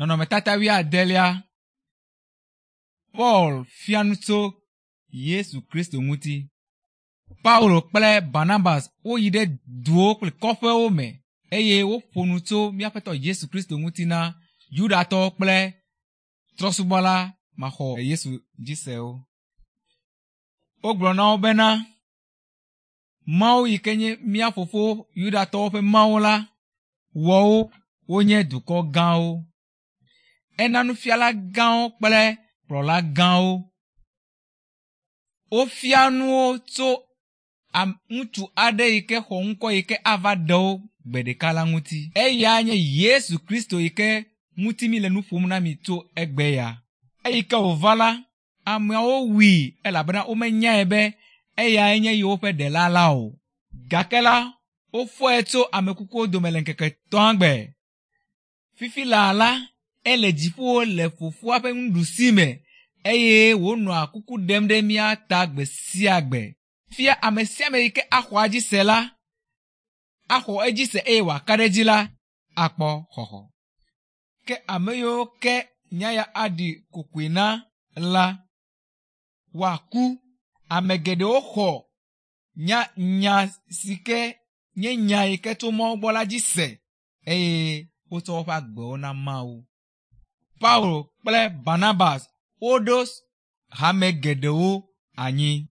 Nɔnɔmetata wuiadelia. Paul fia nu tso Yesu Kristo ŋuti. Paulo kple Barnabas woyi ɖe duwo kple kɔƒewo me eye woƒo nu tso míaƒetɔ Yesu Kristo ŋuti na Yudatɔwo kple trɔsubɔla maxɔ Yesu dzi sewo. Wogblɔ na wo bena Mawu yi ke nye mía fofo Yudatɔwo ƒe Mawu la wɔ wo wonye dukɔ gãwo. Ena nufiala gãwo kple kplɔla gãwo. Wofia nuwo tso ŋutsu aɖe yi ke xɔ ŋkɔ yi ke ava ɖe wo gbe ɖeka la ŋuti. Eya nye Yesu Kristo yi ke ŋuti mi le nu ƒom na mi tso egbe ya. Eyi ke wòva la, ameawo wui elabena womenyae be eyae nye yewoƒe ɖela la o. Gake la, wofɔe tso amekukuwo dome le ŋkeke etɔ̃a gbe. Fifi laa la, ele dziƒo le fofoa ƒe nuɖusi me eye wònɔa kuku ɖem ɖe mía ta gbe sia gbe. Fia ame sia ame yi ke axɔ edzi se la, axɔ edzi se eye wòaka ɖe edzi la, akpɔ xɔxɔ. Ke ame yiwo ke nya ya aɖi kokoe na la, woaku. Ame geɖewo xɔ nya nya si ke nye nya yi ke tso Mawu gbɔ la dzi se eye wotsɔ woƒe agbewo na Mawu. Paulo kple Barnabas woɖo hame geɖewo anyi.